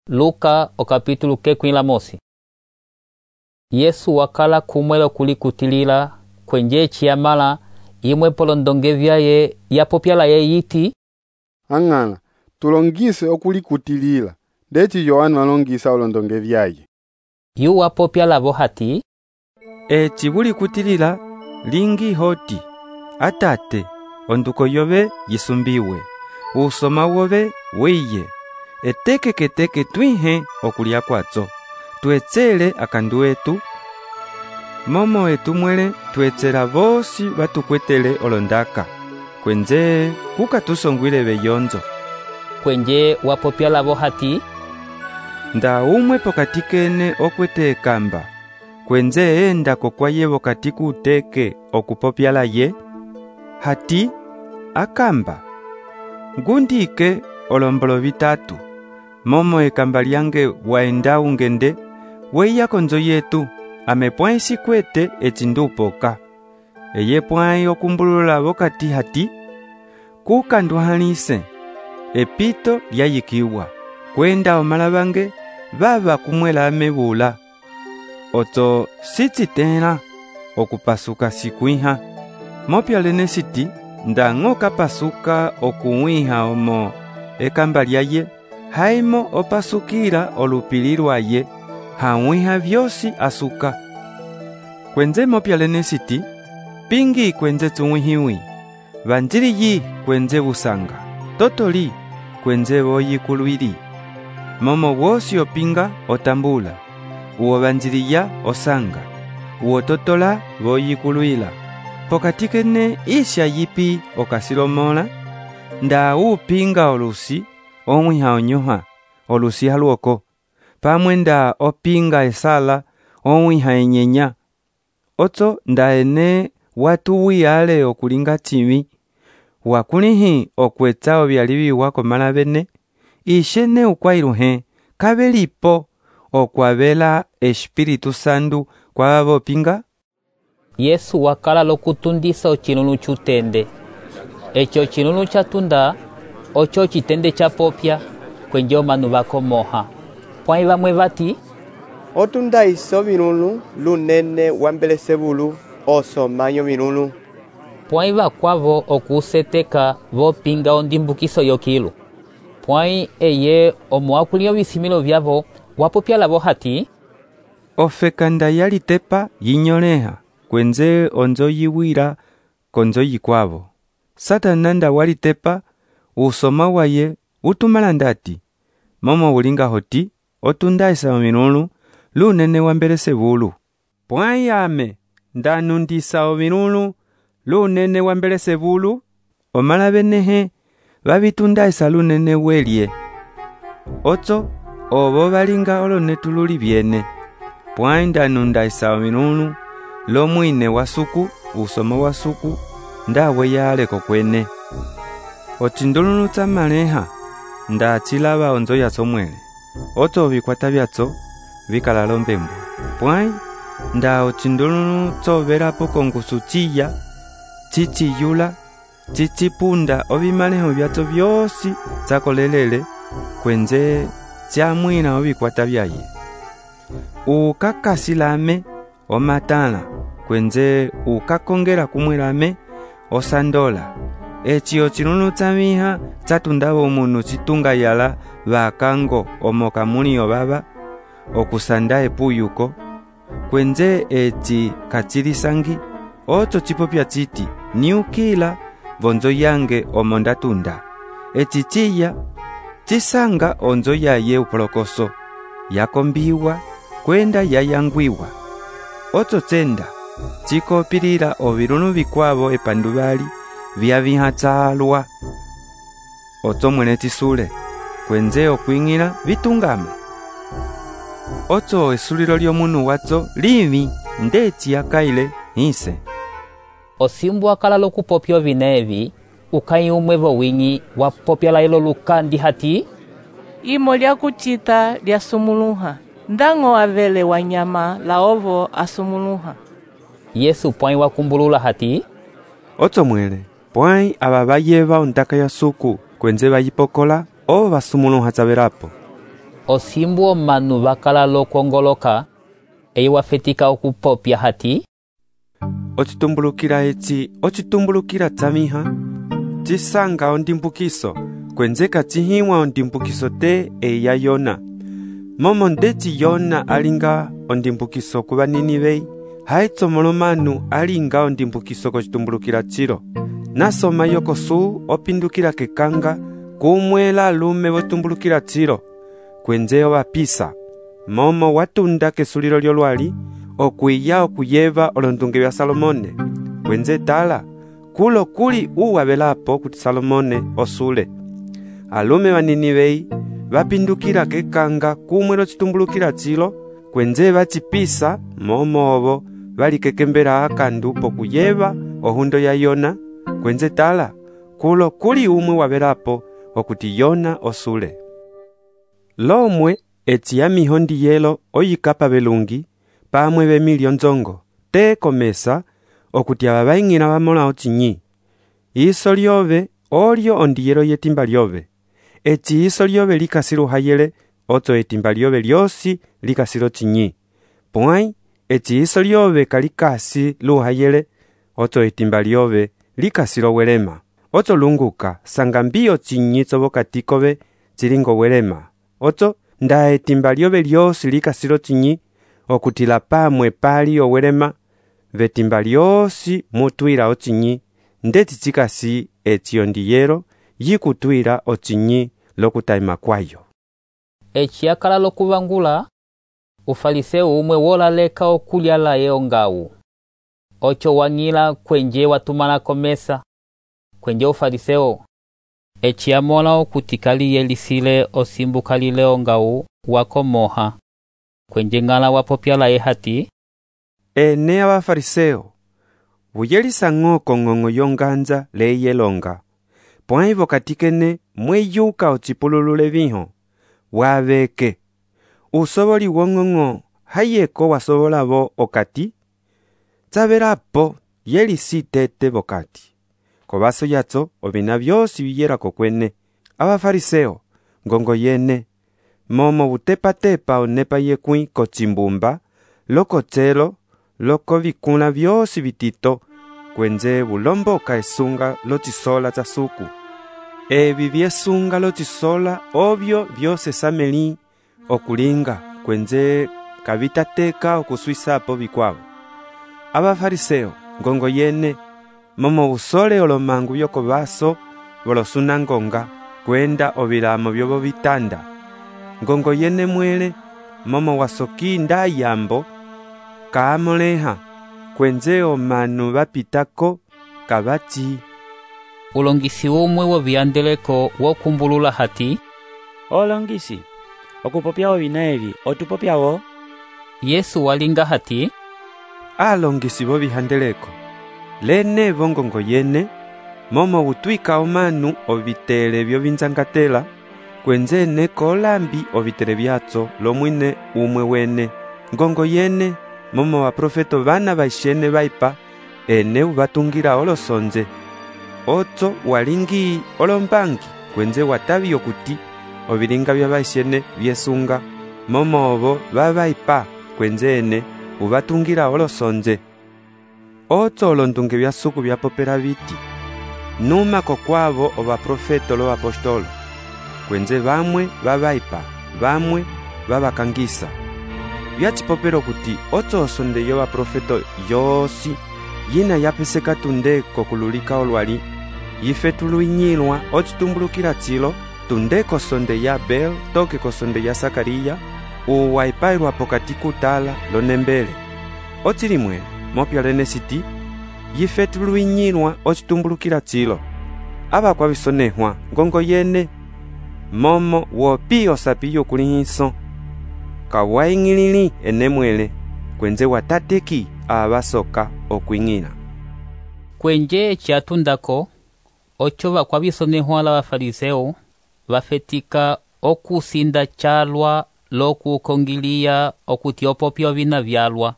Luka okapitulo kekwila mosi. Yesu wakala kumwela kulikutilila kwenje chiyamala imwe polondonge vyaye yapopyala ye yiti ang'ana tulongise okulikutilila ndeci Yohana walongisa olondonge vyaye. Yu wapopyala vo hati chibulikutilila lingi hoti atate onduko yove yisumbiwe usoma wove wiye etekeketeke twihe okulya kwatso tuetsele akandu etu momo etumwele tuetsela vosi vatukwetele olondaka kwenje kukatusongwile veyonzo. Kwenje wapopyala vo hati nda umwe pokati kene okwete ekamba kwenje enda kokwaye vokati kuteke okupopyala ye hati akamba ngundike olombolo vitatu momo ekamba lyange waenda ungende weya konzo yetu amepwa isikwete echindupoka eye pwai okumbulula vokati hati kukanduhalise epito lyayikiwa kwenda omalavange vava kumwela amebula oto sitsitela okupasuka sikwiha mopyalene siti ndang'o kapasuka okuwiha omo ekamba lyaye haimo opasukila olupili lwaye hawiha vyosi asuka kwenze mopyalene siti pingi kwenze tsuwihiwi vanjiliyi kwenze busanga totoli kwenze voyikulwili momo wosi opinga otambula uwo vanjiliya osanga uwo totola voyikulwila pokati kene isha yipi okasilomola nda upinga olusi omwiha onyoha olusi haluoko pamwe nda opinga esala omwiha enyenya otso nda ene watu wiyale okulinga chivi wakulihi okwetsa ovyaliviwa komala bene ishene ukwailuhe kabelipo okwavela Espiritu Sandu kwa vopinga. Yesu wakala lokutundisa ochinunu chutende echo chinunu chatunda ocho chitende chapopya kwenje omanu vakomoha pwai vamwe vati otunda iso vinunu lunene wambelesebulu osomanyo vinunu pwai vakwavo okuseteka vopinga ondimbukiso yokilu pwai eye omuakulio visimilo vyavo wapopyala vo hati ofekanda yalitepa yinyoleha kwenze onzo yiwira konzo yikwavo Satana nda walitepa usoma waye utumala ndati momo ulinga hoti otunda isa ovinunu lunene wambelesebulu pwai ame ndanundisa ovinunu lunene wambelesebulu omala benehe vavitunda isa lunene welye otso ovo valinga olonetululi vyene pwai ndanunda isa ovinunu lomwine wasuku usoma wasuku ndawe yaleko kwene ochindulunu tsa maleha nda chilava onzo yatso mwele otso vikwata vyatso vikalala ombembo pwai nda ochindulunu tsovelapo kongusu chiya chichiyula chichipunda ovimaleho vyatso vyosi tsakolelele kwenze tsyamwina ovikwata vyaye ukakasilame omatala kwenze ukakongela kumwelame osandola eci ochinunu tsamiha tsatundava omunu chitunga yala vakango omokamuli ovava okusanda epuyuko kwenze eci kachilisangi otso chipopya chiti niukila vonzo yange omo ndatunda eci chiya chisanga onzo yaye upolokoso yakombiwa kwenda yayangwiwa otso tsenda chikopilila ovilunu vikwavo epanduvali vyaviha tsalwa otso mwene chisule kwenze okwing'ila vitungama otso esulilo lyomunu watso livi ndeci yakaile hise osimbu wakala lokupopya ovinevi ukai umwe vowing'i wapopyala ilo lukandi hati imo lyakuchita lyasumuluha ndang'o avele wanyama laovo asumuluha. Yesu pwai wakumbulula hati otso mwele pwai ava vayeva ondaka ya suku kwenze vayipokola o vasumuluha tsavelapo osimbu omanu bakala lokwongoloka eyi wafetika okupopya hati ocitumbulukila eci ocitumbulukila tsamiha cisanga ondimbukiso kwenzeka cihiwa ondimbukiso te eya Yona. Momo ndeci Yona alinga ondimbukiso ku Baninive, haitsomolo manu alinga ondimbukiso kocitumbulukila cilo. Nasoma yokosu opindukila kekanga kumwela alume votumbulukila cilo kwenze ovapisa. Momo watunda kesulilo lyolwali okwiya okuyeva olondunge vya Salomone kwenze tala kulo kuli uwavelapo kuti Salomone osule. Alume Baninive vapindukila kekanga kumwelo citumbulukila cilo kwenze vacipisa. Momo ovo valikekembela akandu pokuyeva ohundo ya Yona kwenze tala kulo kuli umwe wavelapo okuti Yona osule. Lomwe eci ya mihondi yelo oyikapa belungi pamwe bemilio nzongo te komesa okuti aba baing'ina bamola ocinyi. Iso lyove olyo ondiyelo yetimba lyove. Eci iso lyove likasilo hayele oto etimba lyove lyosi likasilo cinyi. Pwai eci iso lyove kalikasi luhayele oto etimba lyove likasilo welema. Oto lunguka sanga mbio cinyi tsobokatikobe cilingo welema. Oto nda etimba lyove lyosi likasilo cinyi okutila pamwe pali owelema vetimba lyosi mutwila ocinyi ndeti cikasi eci ondiyelo yikutwila ocinyi lokutaima kwayo. eci akala lokuvangula ufariseo umwe wolaleka okulya laye ongawu. Ocho wang'ila kwenje watumana komesa kwenje ufariseo eci amola okuti kaliyelisile osimbuka lile ongawu wakomoha kwenje ng'ala wapopya laye hati ene abafariseo buyelisa ng'oko ng'ong'o yonganza leyelonga pwai vokatikene mweyuka ocipululule viho wabeke usoboli wong'ong'o hayeko wasobolabo okati tsabelapo yelisi tete vokati kobaso yatso obina byosi biyelako kwene. Abafariseo ngongo yene momo butepatepa onepa yekwi kocimbumba lokotselo loko vikula byosi bitito kwenze bulomboka esunga lotisola tsa suku. Ebi byesunga lotisola obyo byose sameli okulinga kwenze kabitateka okuswisapo bikwabo. Abafariseo ngongo yene momo busole olomangu byokobaso bolosunangonga kwenda obilamo byobo bitanda. Ngongo yene mwele momo wasoki nda yambo kaamoleha kwenze omanu bapitako kabati. ulongisi umwe wobiyandeleko wokumbulula hati olongisi okupopyawo bina ebi otupopyawo. Yesu walinga hati alongisi bo bihandeleko lene bongongo yene momo butwika omanu obitele byo binzangatela kwenze neko olambi obitele byatso lomwine umwe wene. Ngongo yene momo baprofeto bana baishene baipa ene ubatungira olosonze otso walingi olombangi kwenze watabi okuti obilinga bya baishene byesunga momo obo babaipa kwenze ene ubatungira olosonze otso olondunge bya suku bya popera biti numa kokwabo obaprofeto lo apostolo kwenze bamwe babaipa bamwe babakangisa byachipopero kuti otso osonde yo baprofeto yosi yina yapeseka tunde kokululika olwali yife tuluinyilwa ocitumbulukila cilo tunde kosonde ya Bel toke kosonde ya Sakariya uwaipailwa pokati kutala lonembele ocilimwele mopyalene siti yife tuluinyilwa ocitumbulukila cilo abakwa bisonehwa ngongo yene momo wopi osapi yokulihiso kawaing'ilili enemwele kwenze watateki abasoka okwing'ila kwenje eciatundako ocho bakwa bisonehwa la bafariseo bafetika okusinda calwa lokukongiliya okuti opopya obina byalwa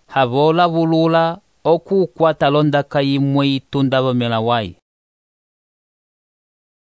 habola bulula okukwata londaka yimwe itunda bomela wayi.